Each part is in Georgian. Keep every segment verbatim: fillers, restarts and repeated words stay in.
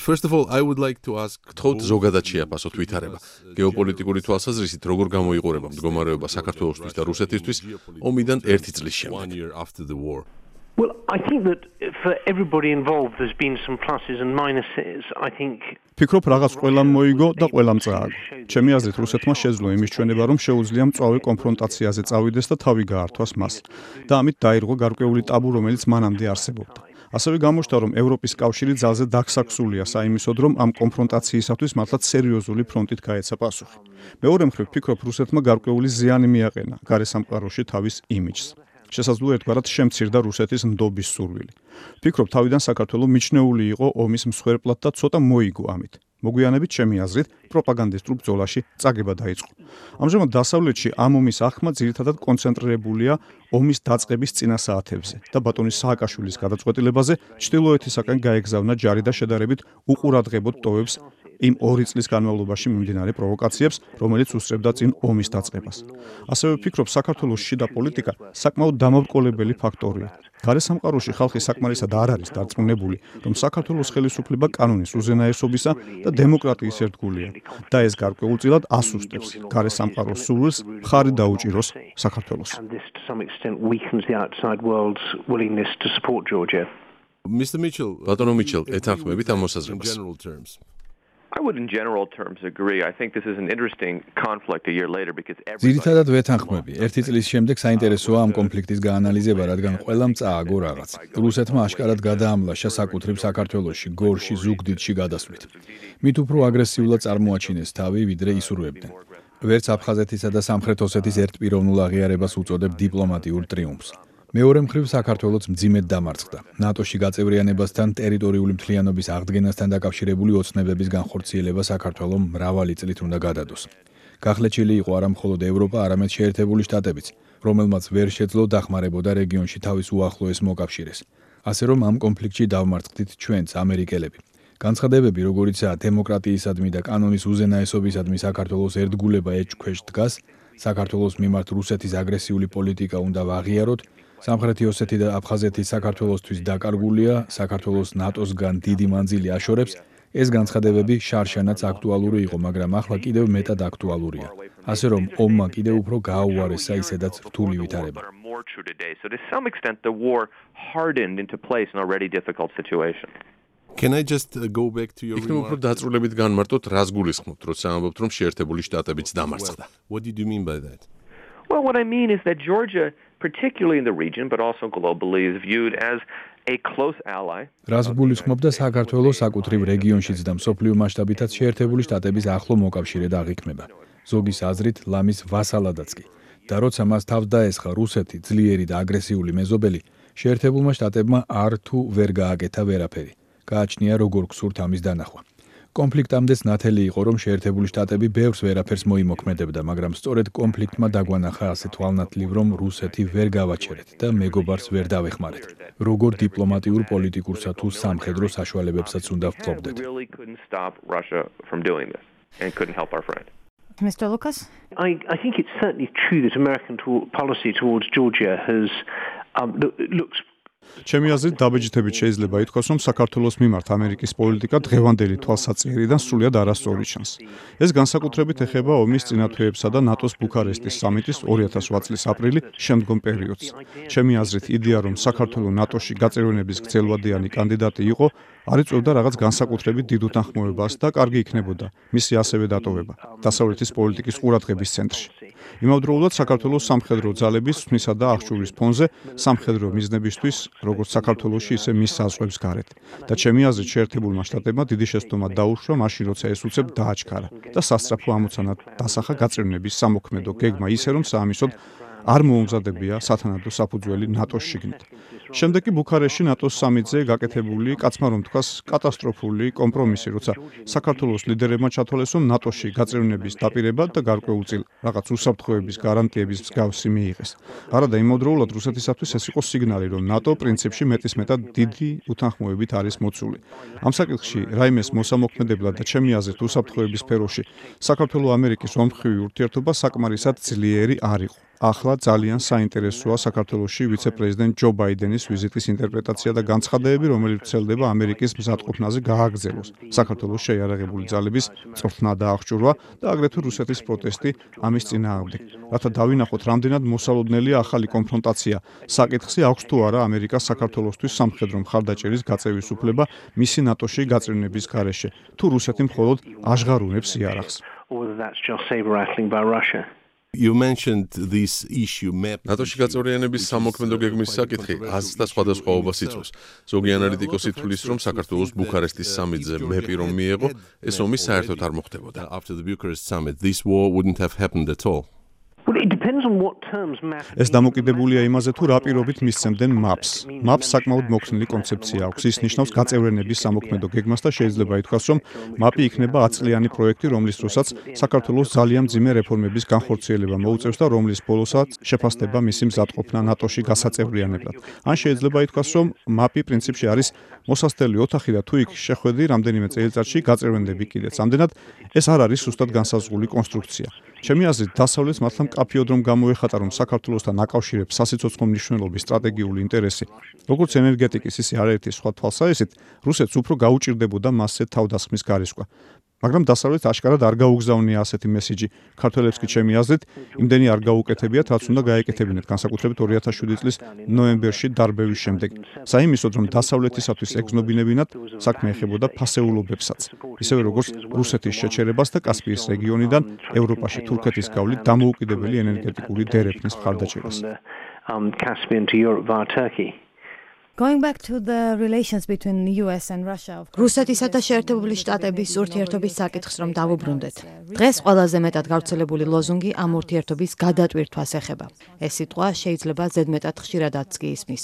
first of all, I would like to ask გთხოვთ ზოგადად შეაფასოთ ვითარება. გეოპოლიტიკური თვალსაზრისით როგორ გამოიყურება მდგომარეობა საქართველოსთვის და რუსეთისთვის ომიდან ერთი წლის შემდეგ. Well, I think that for everybody involved there's been some pluses and minuses. I think ფიქრობ რაღაც ყველამ მოიგო და ყველამ წააგო. ჩემი აზრით რუსეთმა შეძლო იმის ჩვენება რომ შეუძლია მწვავე კონფრონტაციაზე წავიდეს და თავი გაართვას მას და ამით დაირღვა გარკვეული ტაბუ რომელიც მანამდე არსებობდა. ასევე გამოჩნდა რომ ევროპის კავშირი ძალზე დაგსაქსულია საიმისოდ რომ ამ კონფრონტაციისათვის მართლაც სერიოზული ფრონტით გაეცა პასუხი. მეორე მხრივ ფიქრობ რუსეთმა გარკვეული ზიანი მიაყენა გარესამყაროში თავის იმიჯს. შესაძლოა ერთგვარად შემცირდა რუსეთის ნდობის სურვილი. ფიქრობ თავიდან საქართველო მიჩნეული იყო ომის მსხვერპლად და ცოტა მოიგო ამით. მოგვიანებით ჩემი აზრით პროპაგანდისტურ ბრძოლაში წაგება დაიწყო. ამჟამად დასავლეთში ამ ომის აღქმა ძირითადად კონცენტრირებულია ომის დაწყების წინა საათებზე და ბატონი სააკაშვილის გადაწყვეტილებაზე ჩრდილოეთისაკენ გაეგზავნა ჯარი და შედარებით უყურადღებოდ ტოვებს იმ ორი წლის განმავლობაში მიმდინარე პროვოკაციებს, რომელიც უსწრებდა წინ ომის დაწყებას. ასევე ვფიქრობ, საქართველოს შიდა პოლიტიკა საკმაოდ დამავტყოლებელი ფაქტორია. გარესამყაროში ხალხი საკმარისად არ არის დარწმუნებული, რომ საქართველოს ხელისუფლება კანონის უზენაესობისა და დემოკრატიის ერთგულია და ეს გარკვეულწილად ასუსტებს გარესამყაროს სურვილს მხარი დაუჭიროს საქართველოს. Mister Mitchell, ბატონო მიჩელ, ეთანხმებით ამ მოსაზრებას? I would in general terms agree. I think this is an interesting conflict a year later because ძირითადად ვეთანხმები. ერთი წლის შემდეგ საინტერესოა ამ კონფლიქტის გაანალიზება, რადგან ყველამ წააგო რაღაც. რუსეთმა აშკარად გადაამლაშა საკუთრივ საქართველოში, გორში, ზუგდიდში გადასვლით. მით უფრო აგრესიულად წარმოაჩინეს თავი, ვიდრე ისურვებდნენ. ვერც აფხაზეთისა და სამხრეთ ოსეთის ერთპიროვნულ აღიარებას უწოდებ დიპლომატიურ ტრიუმფს. მეორე მხრივ საქართველოს მძიმედ დამარცხდა. ნატოში გაწევრიანებასთან ტერიტორიული მთლიანობის აღდგენასთან დაკავშირებული ოცნებების განხორციელება საქართველოს მრავალი წლით უნდა გადადოს. გახლეჩილი იყო არა მხოლოდ ევროპა, არამედ შეერთებული შტატებიც, რომელმაც ვერ შეძლო დახმარებოდა რეგიონში თავის უახლოეს მოკავშირეს. ასე რომ ამ კონფლიქტში დავმარცხდით ჩვენც ამერიკელები. განცხადებები, როგორიცაა დემოკრატიისადმი და კანონის უზენაესობისადმი საქართველოს ერთგულება ეჭქვეშ დგას, საქართველოს მიმართ რუსეთის აგრესიული პოლიტიკა უნდა ვაღიაროთ, სამხრეთი ოსეთი და აფხაზეთი საქართველოსთვის დაკარგულია, საქართველოს ნატოსგან დიდი მანძილი აშორებს, ეს განცხადებები შარშანაც აქტუალური იყო, მაგრამ ახლა კიდევ მეტად აქტუალურია. ასე რომ ომმა კიდევ უფრო გააუარესა ისედაც რთული ვითარება. So to some extent the war hardened into place an already difficult situation. Can I just go back to your remark? უფრო დაწვრილებით განმარტოთ, რას გულისხმობთ, როცა ამბობთ, რომ შეერთებული შტატებიც დამარცხდა. What did you mean by that? Well, what I mean is that Georgia, particularly in the region, but also globally, is viewed as a close ally. რას გულისხმობდა საქართველოს საკუთრივ რეგიონშიც და მსოფლიო მასშტაბითაც შეერთებული შტატების ახლო მოკავშირედ აღიქმება. ზოგის აზრით, ლამის ვასალადაც კი. და როცა მას თავს დაესხა რუსეთი, ძლიერი და აგრესიული მეზობელი, შეერთებულმა შტატებმა არ თუ ვერ გააკეთა ვერაფერი. გააჩნია როგორ გსურთ ამის დანახვა. კონფლიქტამდეც ნათელი იყო, რომ შეერთებული შტატები ბევრს ვერაფერს მოიმოქმედებდა, მაგრამ სწორედ კონფლიქტმა დაგვანახა ასე თვალნათლივ, რომ რუსეთი ვერ გავაჩერეთ და მეგობარს ვერ დავეხმარეთ. როგორ დიპლომატიურ, პოლიტიკურსა თუ სამხედრო საშუალებებსაც უნდა ვფლობდეთ. Mister Lucas? I, I think it's certainly true that American to- policy towards Georgia has um, lo- looks ჩემი აზრით დაბეჭდებით შეიძლება ითქვას, რომ საქართველოს მიმართ ამერიკის პოლიტიკა დღევანდელი თვალსაჩინარიდან სრულიად არასწორი ჩანს. ეს განსაკუთრებით ეხება ომის წინათვეებსა და ნატოს ბუქარესტის სამიტის ორი ათას ოთხ წლის აპრილი შემდგომ პერიოდს. ჩემი აზრით იდეა, რომ საქართველო ნატოში გაწევრიანების გრძელვადიანი კანდიდატი იყო, არ იწვევდა რაღაც განსაკუთრებით დიდ უთანხმოებას და კარგი იქნებოდა მისი ასევე დატოვება დასავლეთის პოლიტიკის ყურადღების ცენტრში. იმავდროულად საქართველოს სამხედრო ძალების თმისა და აღჭურვის ფონზე სამხედრო მიზნებისთვის როგორც საქართველოში, ისე მის საზღვრებს გარეთ. და ჩემი აზრით შეერთებულმა შტატებმა დიდი შეცდომა დაუშვა მაშინ, როცა ეს უცებ დააჩქარა და სასწრაფო ამოცანა დასახა გაწევრიანების სამოქმედო გეგმა ისე, რომ საამისოდ არ მოუმზადებია სათანადო საფუძველი ნატოს შიგნით. შემდეგ კი ბუქარესტში ნატოს სამიტზე გაკეთებული, კაცმა რომ თქვას, კატასტროფული კომპრომისი, როცა საქართველოს ლიდერებმა ჩათვალეს, რომ ნატოში გაწევრიანების დაპირება და გარკვეულწილ რაღაც უსაფრთხოების გარანტიების მსგავსი მიიღეს. არადა იმავდროულად რუსეთისათვის ეს იყო სიგნალი, რომ ნატო პრინციპში მეტისმეტად დიდი უთანხმოებით არის მოცული. ამ საკითხში რაიმეს მოსამოქმედებლად და ჩემი აზრით უსაფრთხოების სფეროში საქართველო-ამერიკის ომხრივი ურთიერთობა საკმარისად ძლიერი არ იყო. ახლა ძალიან საინტერესოა საქართველოში ვიცე-პრეზიდენტ ჯო ბაიდენის ვიზიტის ინტერპრეტაცია და განცხადებები, რომელიც ვრცელდება ამერიკის მზადყოფნაზე გააგრძელოს. საქართველოს შეიარაღებული ძალების წვრთნა და აღჭურვა და აგრეთვე რუსეთის პროტესტი ამის წინააღმდეგ. რათა დავინახოთ, რამდენად მოსალოდნელია ახალი კონფრონტაცია. საკითხი აქვს თუ არა ამერიკას საქართველოსთვის სამხედრო მხარდაჭერის გაწევის უფლება მისი ნატოში გაწევნების გარეშე, თუ რუსეთი მხოლოდ აშღარუნებს იარაღს. You mentioned this issue map. ნატოში გაწევრიანების სამოქმედო გეგმის საკითხი აზრს და სხვადასხვაობას იწვევს. ზოგი ანალიტიკოსი თვლის, რომ საქართველოს ბუქარესტის სამიტზე მეპი რომ მიეღო, ეს ომი საერთოდ არ მოხდებოდა. After the Bucharest summit, this war wouldn't have happened at all. ეს დამოკიდებულია იმაზე, თუ რა პირობით მისცემდნენ მაპს. მაპს საკმაოდ მოქნილი კონცეფცია აქვს. ის ნიშნავს გაწევრიანების სამოქმედო გეგმას და შეიძლება ითქვას, რომ მაპი იქნება ათწლიანი პროექტი, რომლის დროსაც საქართველოს ძალიან მძიმე რეფორმების განხორციელება მოუწევს და რომლის ბოლოსაც შეფასდება მისი მზადყოფნა ნატოში გასაწევრიანებლად. ან შეიძლება ითქვას, რომ მაპი პრინციპში არის მოსასწრელი ოთახი და თუ იქ შეხვედი რამდენიმე წელიწადში გაწევრენდები კიდეც. ამდენად ეს არ არის სუსტად განსაზღვრული კონსტრუქცია. ჩემი აზრით, დასავლეთს მართლა მკაფიოდ რომ გამოეხატა, რომ საქართველოსთან აკავშირებს სასიცოცხლო მნიშვნელობის სტრატეგიული ინტერესი, როგორც ენერგეტიკის, ისე არაერთი სხვა თვალსაზრისით, რუსეთს უფრო გაუჭირდებოდა მასზე თავდასხმის გარისკვა. მაგრამ დასავლეთ აშკარად არ გაუგზავნია ასეთი მესიჯი. ქართველებს კი ჩემი აზრით, იმდენი არ გაუკეთებიათ, რაც უნდა გაეკეთებინათ, განსაკუთრებით ორი ათას შვიდი წლის ნოემბერში დარბევის შემდეგ. საიმისოდ, რომ დასავლეთისათვის ეგზნობინებინათ, საქმე ეხებოდა ფასეულობებსაც. ისევე როგორც რუსეთის შეჩერებას და კასპიის რეგიონიდან ევროპაში თურქეთის გავლით დამოუკიდებელი ენერგეტიკული დერეფნის მხარდაჭერას. Going back to the relations between the U S and Russia. რუსეთისა და შეერთებული შტატების ურთიერთობის საკითხს რომ დავუბრუნდეთ. დღეს ყველაზე მეტად გავრცელებული ლოზუნგი ამ ურთიერთობის გადატვირთვას ეხება. ეს სიტყვა შეიძლება ზედმეტად ხშირადაც კი ისმის.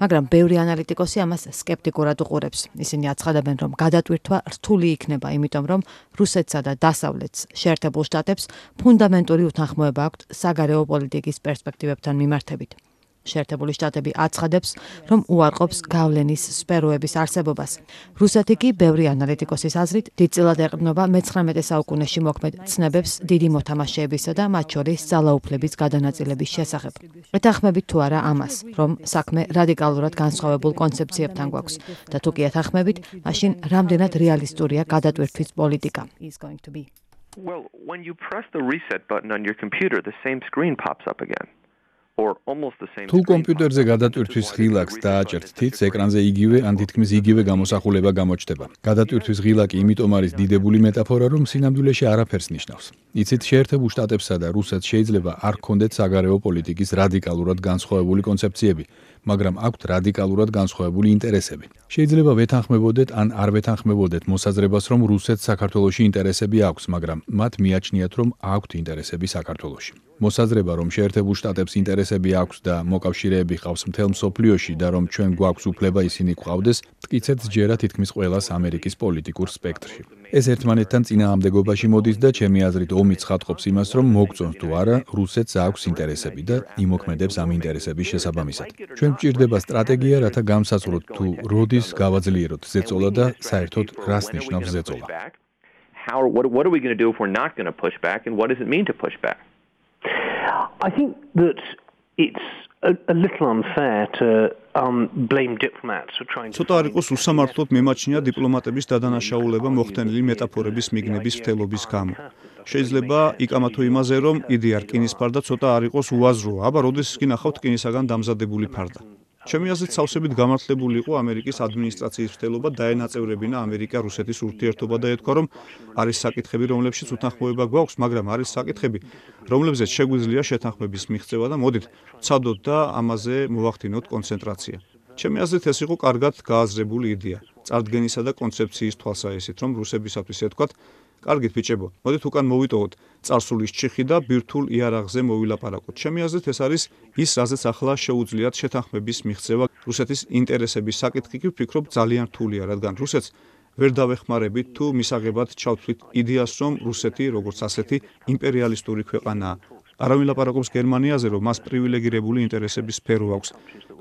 მაგრამ ბევრი ანალიტიკოსი ამას სკეპტიკურად უყურებს. ისინი აცხადებენ, რომ გადატვირთვა რთული იქნება, იმიტომ რომ რუსეთსა და დასავლეთს, შეერთებულ შტატებს ფუნდამენტური უთანხმოება აქვთ საგარეო პოლიტიკის პერსპექტივებთან მიმართებით. შეერთებული შტატები აცხადებს, რომ უარყოფს გავლენის სფეროების არსებობას. რუსეთი კი, ბევრი ანალიტიკოსის აზრით, დიდწილად ეყრდნობა მეცხრამეტე საუკუნეში მოქმედ ცნებებს დიდი მოთამაშეებისა და მათ შორის ძალაუფლების გადანაწილების შესახებ. ეთანხმებით თუ არა ამას, რომ საქმე რადიკალურად განსხვავებულ კონცეფციებთან გვაქვს და თუ კი ეთანხმებით, მაშინ რამდენად რეალისტურია გადატვირთვის პოლიტიკა. Well, when you press the reset button on your computer, the same screen pops up again. თუ კომპიუტერზე გადატვირთვის ღილაკს დააჭერთ თითს, ეკრანზე იგივე ან თითქმის იგივე გამოსახულება გამოჩნდება. გადატვირთვის ღილაკი იმიტომ არის დიდებული მეტაფორა, რომ სინამდვილეში არაფერს ნიშნავს. იცით, შეერთებულ შტატებსა და რუსეთს შეიძლება არ ჰქონდეთ საგარეო პოლიტიკის რადიკალურად განსხვავებული კონცეფციები, მაგრამ აქვთ რადიკალურად განსხვავებული ინტერესები. შეიძლება ვეთანხმებოდეთ ან არ ვეთანხმებოდეთ მოსაზრებას, რომ რუსეთს საქართველოში ინტერესები აქვს, მაგრამ მათ მიაჩნიათ, რომ აქვთ ინტერესები საქართველოში. მოსაზრება, რომ შეერთებულ შტატებს ინტერესები აქვს და მოკავშირეები ყავს მთელ მსოფლიოში და რომ ჩვენ გვაქვს უფლება ისინი გვყავდეს, მტკიცედ ჯერა თითქმის ყველას ამერიკის პოლიტიკურ სპექტრში. ეს ერთმანეთთან წინააღმდეგობაში მოდის და ჩემი აზრით ომი ცხადყოფს იმას, რომ მოგწონს თუ არა, რუსეთს აქვს ინტერესები და იმოქმედებს ამ ინტერესების შესაბამისად. ჩვენ გვჭირდება სტრატეგია, რათა გამსაზღვროთ თუ როდის გავაძლიეროთ ზეწოლა და საერთოდ რას ნიშნავს ზეწოლა. How what what are we going to do if we're not going to push back, and what does it mean to push back? I think that it's a, a little unfair to um blame diplomats for trying to ცოტა არ იყოს უსამართლოდ მემაჩნია დიპლომატების დადანაშაულება მოხდენილი მეტაფორების მიგნების მთელობის გამო. შეიძლება იკამათო იმაზე, რომ იდეა რკინის ფარდა ცოტა არ იყოს უაზროა, აბა როდესაც კი ნახავთ რკინისაგან დამზადებული ფარდა. ჩემი აზრით, სავსებით გამართლებული იყო ამერიკის ადმინისტრაციის მცდელობა დაენაწევრებინა ამერიკა-რუსეთის ურთიერთობა და ეთქვა, რომ არის საკითხები, რომლებშიც უთანხმოება გვაქვს, მაგრამ არის საკითხები, რომლებზეც შეგვიძლია შეთანხმების მიღწევა და მოდით ვცადოთ და ამაზე მოვახდინოთ კონცენტრაცია. ჩემი აზრით, ეს იყო კარგად გააზრებული იდეა, წარდგენისა და კონცეფციის თვალსაჩინო, რომ რუსებისათვის ეთქვათ, კარგით ბიჭებო, მოდით უკან მოვიტოვოთ წარსულის ჩიხი და ბირთვულ იარაღზე მოვილაპარაკოთ. ჩემი აზრით, ეს არის ის, რაზეც ახლა შეუძლიათ შეთანხმების მიღწევა. რუსეთის ინტერესების საკითხი კი ვფიქრობ ძალიან რთულია, რადგან რუსეთს ვერ დავეხმარებით თუ მისაღებად ჩავთვლით იდეას, რომ რუსეთი, როგორც ასეთი, იმპერიალისტური ქვეყანაა. არავინ ლაპარაკობს გერმანიაზე, რომ მას პრივილეგირებული ინტერესების სფერო აქვს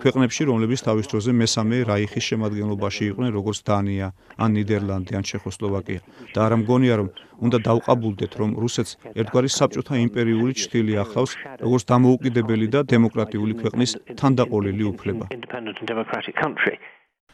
ქვეყნებში, რომლებიც თავის დროზე მესამე რაიხის შემადგენლობაში იყვნენ, როგორც დანია, ან ნიდერლანდი, ან ჩეხოსლოვაკია. და არ მგონია, რომ უნდა დავყაბულდეთ, რომ რუსეთს ერთგვარი საბჭოთა იმპერიული ჭრილი ახლავს, როგორც დამოუკიდებელი და დემოკრატიული ქვეყნის თანდაყოლილი უფლება.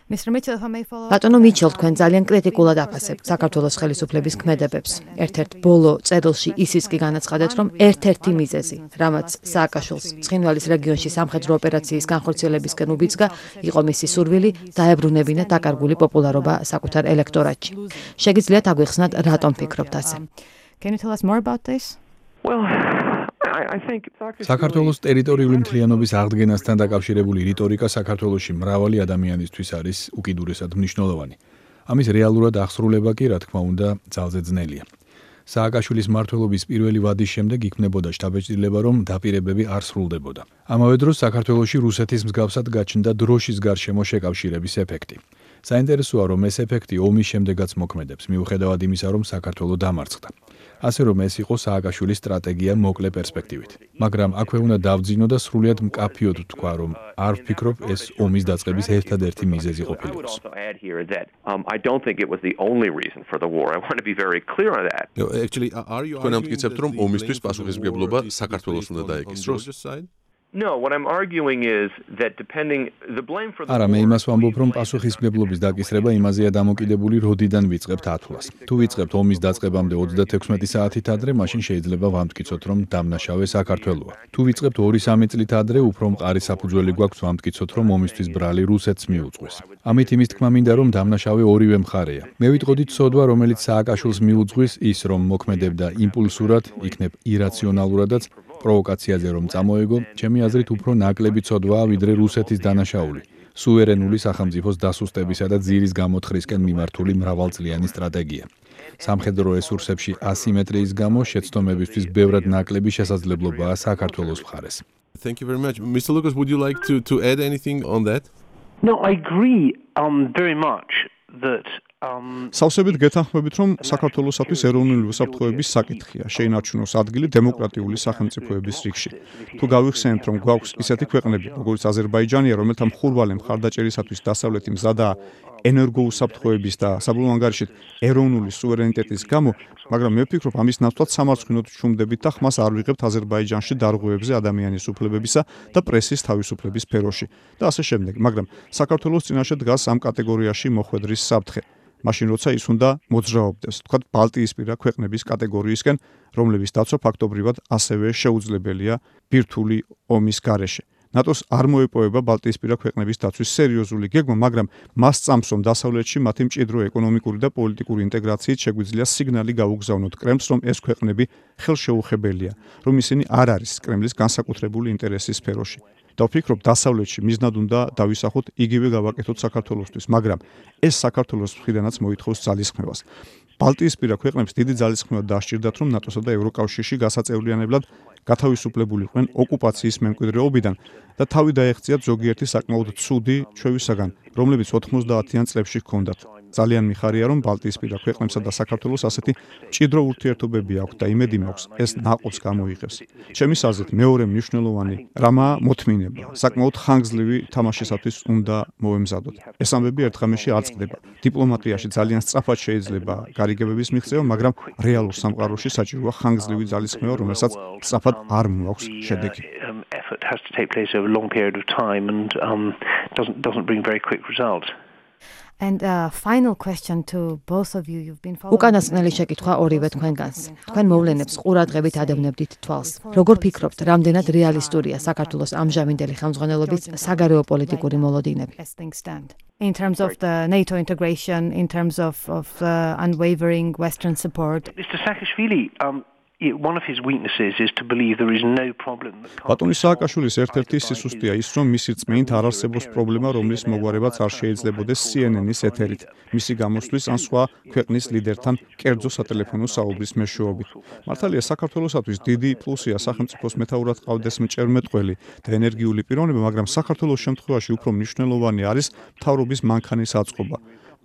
ბატონო მიჩელ, თქვენ ძალიან კრიტიკულად აფასებთ საქართველოს ხელისუფლების ქმედებებს. ერთ-ერთ ბოლო წერილში ისიც კი განაცხადეთ, რომ ერთ-ერთი მიზეზი, რამაც სააკაშვილს ცხინვალის რეგიონში სამხედრო ოპერაციის განხორციელებისკენ უბიძგა, იყო მისი სურვილი დაებრუნებინა დაკარგული პოპულარობა საკუთარ ელექტორატში. შეგიძლიათ აგვიხსნათ, რატომ ფიქრობთ ასე? Can you tell us more about this? Well, I think საქართველოს ტერიტორიული მთლიანობის აღდგენასთან დაკავშირებული რიტორიკა საქართველოში მრავალი ადამიანისთვის არის უკიდურესად მნიშვნელოვანი. ამის რეალურად აღსრულება კი, რა თქმა უნდა, ძალზე ძნელია. სააკაშვილის მმართველობის პირველი ვადის შემდეგ იქმნებოდა შტაბ-ჭრილება, რომ დაპირებები არ სრულდებოდა. ამავე დროს საქართველოში რუსეთის მსგავსად გაჩნდა დროშის გარშემო შეკავშირების ეფექტი. საინტერესოა, რომ ეს ეფექტი ომის შემდეგაც მოქმედებს, მიუხედავად იმისა, რომ საქართველო დამარცხდა. ასე რომ ეს იყო სააკაშვილის სტრატეგია მოკლე პერსპექტივით. მაგრამ აქვე უნდა დავძინო და სრულიად მკაფიოდ ვთქვა, რომ არ ვფიქრობ ეს ომის დაწყების ერთადერთი მიზეზი ყოფილიყოს. თქვენ ამტკიცებთ, რომ ომისთვის პასუხისმგებლობა საქართველოს უნდა დაეკისროს? No, what I'm arguing is that depending the blame for the არა, მე იმას ვამბობ, რომ პასუხისმგებლობის დაკისრება იმაზეა დამოკიდებული, როდიდან ვიწყებთ ათვლას. თუ ვიწყებთ ომის დაწყებამდე ოცდათექვსმეტი საათით ადრე, მაშინ შეიძლება ვამტკიცოთ, რომ დამნაშავე საქართველოა. თუ ვიწყებთ ორი-სამი წლით ადრე, უფრო მყარი საფუძველი გვაქვს ვამტკიცოთ, რომ ომისთვის ბრალი რუსეთს მიუძღვის. ამით იმის თქმა მინდა, რომ დამნაშავე ორივე მხარეა. მე ვიტყოდი ცოდვა, რომელიც სააკაშვილს მიუძღვის, ის რომ მოქმედებდა იმპულსურად, იქნებ ირაციონალურადაც, პროვოკაციაზე რომ წამოეგო, ჩემი აზრით უფრო ნაკლები ცოდვაა, ვიდრე რუსეთის დანაშაული, სუვერენული სახელმწიფოს დასუსტებისა და ძირის გამოთხრისკენ მიმართული მრავალწლიანი სტრატეგია. სამხედრო რესურსებში ასიმეტრიის გამო შეცდომებისთვის ბევრად ნაკლები შესაძლებლობაა საქართველოს მხარეს. Thank you very much. Mister Lucas, would you like to, to add anything on that? No, I agree um, very much that სავსებით გეთანხმებით, რომ საქართველოსათვის ეროვნული უსაფრთხოების საკითხია, შეინარჩუნოს ადგილი დემოკრატიული სახელმწიფოების რიგში. თუ გავიხსენებთ, რომ გვაქვს ისეთი ქვეყნები, როგორც აზერბაიჯანია, რომელთა მხურვალე მხარდაჭერისათვის დასავლეთი მზადაა ენერგოუსაფრთხოების და საბოლოო ანგარიშით ეროვნული სუვერენიტეტის გამო, მაგრამ მე ვფიქრობ, ამის ნაცვლად სამარცხვინოდ ვჩუმდებით და ხმას არ ვიღებთ აზერბაიჯანში დარღვევებზე ადამიანის უფლებებისა და პრესის თავისუფლების სფეროში და ასე შემდეგ. მაგრამ საქართველოს წინაშე დგას ამ კატეგორიაში მოხვედრის საფრთხე. მაშინ როცა ის უნდა მოძრაობდეს, თქვათ ბალტიისპირა ქვეყნების კატეგორიისკენ, რომლების დაცვა ფაქტობრივად ასევე შეუძლებელია ბირთვული ომის გარეშე. ნატოს არ მოეპოვება ბალტიისპირა ქვეყნების დაცვის სერიოზული გეგმა, მაგრამ მას წამს, რომ დასავლეთში მათი მჭიდრო ეკონომიკური და პოლიტიკური ინტეგრაციით შეგვიძლია სიგნალი გაუგზავნოთ კრემლს, რომ ეს ქვეყნები ხელშეუხებელია, რომ ისინი არ არის კრემლის განსაკუთრებული ინტერესის სფეროში. და ვფიქრობ, დასავლეთში მიზნად უნდა დავისახოთ იგივე გავაკეთოთ საქართველოსთვის, მაგრამ ეს საქართველოს მხრიდანაც მოითხოვს ძალისხმევას. ბალტიისპირა ქვეყნებს დიდი ძალისხმევა დაასჭირდათ, რომ ნატოსა და ევროკავშირში გასაწევრიანებლად გათავისუფლებულიყვნენ ოკუპაციის მემკვიდრეობიდან და თავი დაეღწიათ ზოგიერთი საკმაოდ ცუდი ჩვევისაგან, რომლებიც ოთხმოცდაათიან წლებში ჰქონდათ. ძალიან მიხარია, რომ ბალტიისპირა ქვეყნებსა და საქართველოს ასეთი მჭიდრო ურთიერთობები აქვს და იმედი მაქვს, ეს ნაყოფს გამოიღებს. ჩემის აზრით, მეორე მნიშვნელოვანი რამაა მოთმინება. საკმაოდ ხანგრძლივი თამაშისათვის უნდა მოვემზადოთ. ეს ამბები ერთ ღამეში არ წყდება. დიპლომატიაში ძალიან სწრაფად შეიძლება გარიგებების მიღწევა, მაგრამ რეალურ სამყაროში საჭიროა ხანგრძლივი ძალისხმევა, რომელსაც სწრაფად არ მოაქვს შედეგი. Effort has to take place over a long period of time and um, doesn't doesn't bring very quick results. And a uh, final question to both of you. You've been following. უკანასკნელი შეკითხვა ორივე თქვენგანს. თქვენ მოვლენებს ყურადღებით ადევნებდით თვალს. როგორ ფიქრობთ, რამდენად რეალისტურია საქართველოს ამჟამინდელი ხელმძღვანელობის საგარეო პოლიტიკური მოლოდინები? In terms of the NATO integration, in terms of of the unwavering Western support. Mister Saakashvili, um one of his weaknesses is to believe there is no problem. ბატონი სააკაშვილის ერთ-ერთი სისუსტეა ის, რომ მისი რწმენით არ არსებობს პრობლემა, რომლის მოგვარებაც არ შეიძლებოდეს C N N-ის ეთერით, მისი გამოსვლის ან სხვა ქვეყნის ლიდერთან კერძო სატელეფონო საუბრის მეშვეობით. მართალია, საქართველოსათვის დიდი პლუსია სახელმწიფოს მეთაურად ყავდეს მჭერმეტყველი და ენერგიული პიროვნება, მაგრამ საქართველოს შემთხვევაში უფრო მნიშვნელოვანი არის მთავრობის მანქანის აწყობა.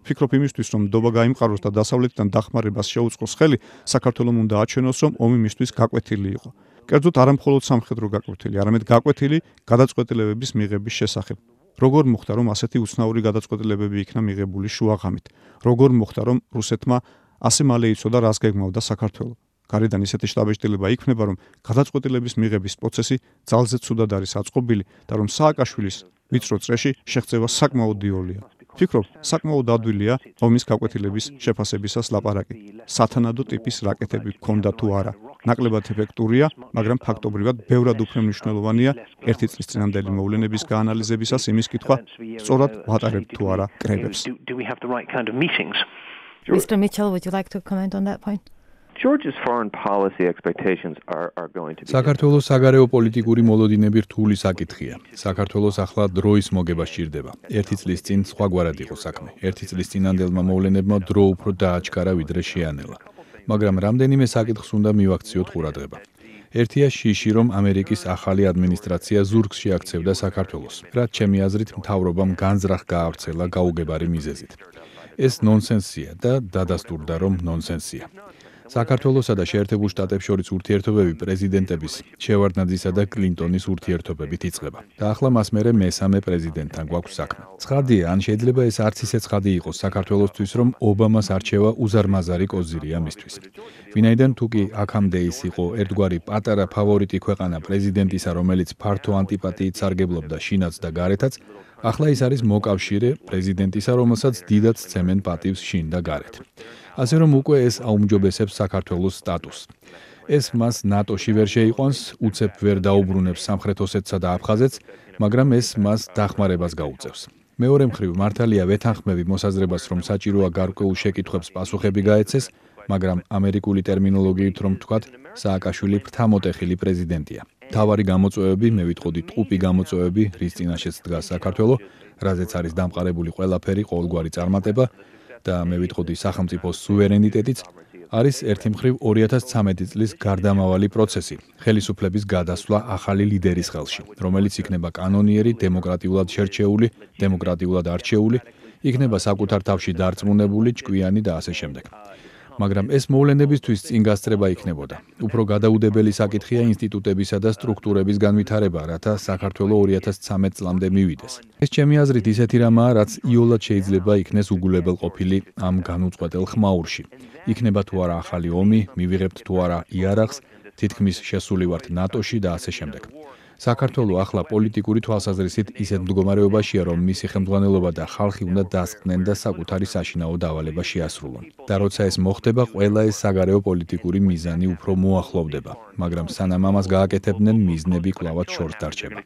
ვფიქრობ იმისთვის, რომ ნდობა გაიმყაროს და დასავლეთიდან დახმარებას შეუწყოს ხელი, საქართველომ უნდა აჩვენოს, რომ ომი მისთვის გაკვეთილი იყო. კერძოდ არა მხოლოდ სამხედრო გაკვეთილი, არამედ გაკვეთილი გადაწყვეტილებების მიღების შესახებ. როგორ მოხდა, რომ ასეთი უცნაური გადაწყვეტილებები იქნა მიღებული შუაღამით? როგორ მოხდა, რომ რუსეთმა ასე მალე იცოდა, რას გეგმავდა საქართველო? გარედან ისეთი შტაბ-ბიჭდილება იქმნება, რომ გადაწყვეტილების მიღების პროცესი ძალზე ცუდად არის აწყობილი და რომ სააკაშვილის ვიწრო წრეში შეღწევა საკმაოდ დიოლია. ფიქრობ, საკმაოდ ადვილია ომის გაკვეთილების შეფასებისას ლაპარაკი. სათანადო ტიპის რაკეტები გქონდა თუ არა. ნაკლებად ეფექტურია, მაგრამ ფაქტობრივად ბევრად უფრო მნიშვნელოვანია ერთი წლის წინანდელი მოვლენების გაანალიზებისას იმის კითხვა, სწორად ვატარებთ თუ არა კრებებს. Mister Mitchell, would you like to comment on that point? Georgia's foreign policy expectations are, are going to be... საქართველოს საგარეო პოლიტიკური მოლოდინები რთული საკითხია. საქართველოს ახლა დროის მოგება სჭირდება. ერთი წლის წინ სხვაგვარად იყო საქმე. ერთი წლის წინანდელმა მოვლენებმა დრო უფრო დააჩქარა ვიდრე შეანელა. მაგრამ რამდენიმე საკითხს უნდა მივაქციოთ ყურადღება. ერთია შიში, რომ ამერიკის ახალი ადმინისტრაცია ზურგს შეაქცევდა საქართველოს, რაც ჩემი აზრით მთავრობამ განზრახ გაავრცელა გაუგებარი მიზეზით. ეს ნონსენსია და დადასტურდა, რომ ნონსენსია. საქართველოსა და შეერთებულ შტატებს შორის ურთიერთობები პრეზიდენტების შევარდნაძისა და კლინტონის ურთიერთობებით იწყება. და ახლა მას მერე მესამე პრეზიდენტთან გვაქვს საქმე. ცხადია, ან შეიძლება ეს არც ისე ცხადი იყოს საქართველოსთვის, რომ ობამას არჩევა უზარმაზარი კოზირია მისთვის. ვინაიდან თუ კი აქამდე ის იყო ერთგვარი პატარა ფავორიტი ქვეყანა პრეზიდენტისა, რომელიც ფართო ანტიპატიით სარგებლობდა შინაც და გარეთაც, ახლა ის არის მოკავშირე პრეზიდენტისა, რომელსაც დიდად სცემენ პატივს შინ და გარეთ. ასე რომ უკვე ეს აუმჯობესებს საქართველოს სტატუსს. ეს მას ნატოში ვერ შეიყვანს, უცებ ვერ დაუბრუნებს სამხრეთ ოსეთსა და აფხაზეთს, მაგრამ ეს მას დახმარებას გაუწევს. მეორე მხრივ, მართალია ვეთანხმები მოსაზრებას, რომ საჭიროა გარკვეულ შეკითხვებს პასუხები გაეცეს, მაგრამ ამერიკული ტერმინოლოგიით რომ ვთქვათ, სააკაშვილი ფრთამოტეხილი პრეზიდენტია. თავარი გამოწვევები, მე ვიტყოდი ტყუპი გამოწვევები, რის წინაშეც დგას საქართველო, რაზეც არის დამყარებული ყველაფერი, ყოველგვარი წარმატება და მე ვიტყოდი სახელმწიფოს სუვერენიტეტიც, არის ერთი მხრივ ორი ათას ცხრამეტი წლის გარდამავალი პროცესი, ხელისუფლების გადასვლა ახალი ლიდერის ხელში, რომელიც იქნება კანონიერი, დემოკრატიულად შერჩეული, დემოკრატიულად არჩეული, იქნება საკუთარ თავში დარწმუნებული, ჭკვიანი და ასე შემდეგ. მაგრამ ეს მოვლენებისთვის წინ გასწრება იქნებოდა. უფრო გადაუდებელი საკითხია ინსტიტუტებისა და სტრუქტურების განვითარება, რათა საქართველო ორი ათას ცხრამეტ წლამდე მივიდეს. ეს ჩემი აზრით ისეთი რამაა, რაც იოლად შეიძლება იქნეს უგულებელყოფილი ამ განუწყვეტელ ხმაურში. იქნება თუ არა ახალი ომი, მივიღებთ თუ არა იარაღს, თითქმის შესული ვართ ნატოში და ასე შემდეგ. საქართველო ახლა პოლიტიკური თვალსაზრისით ისეთ მდგომარეობაშია, რომ მისი ხელმძღვანელობა და ხალხი უნდა დასკდნენ და საკუთარი საშინაო დავალება შეასრულონ. და როცა ეს მოხდება, ყველა ეს საგარეო პოლიტიკური მიზანი უფრო მოახლოვდება, მაგრამ სანამ ამას გააკეთებდნენ, მიზნები კვლავად შორს დარჩება.